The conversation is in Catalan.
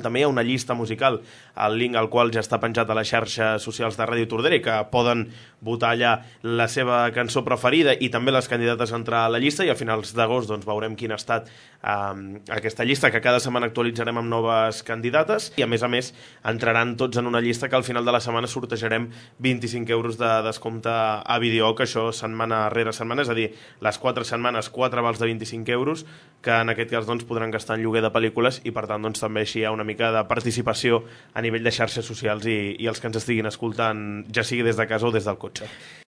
També hi ha una llista musical, el link al qual ja està penjat a les xarxes socials de Ràdio Tordera, que poden votar allà la seva cançó preferida i també les candidates a entrar a la llista, i a finals d'agost doncs, veurem quina ha estat aquesta llista, que cada setmana actualitzarem amb noves candidates, i a més entraran tots en una llista que al final de la setmana sortejarem 25 euros de descompte a Vídeo, que això setmana rere setmana, és a dir, les 4 setmanes 4 vals de 25 euros, que en aquest cas doncs, podran gastar en lloguer de pel·lícules, i per tant doncs, també així hi ha una mica de participació a nivell de xarxes socials i els que ens estiguin escoltant, ja sigui des de casa o des del cotxe.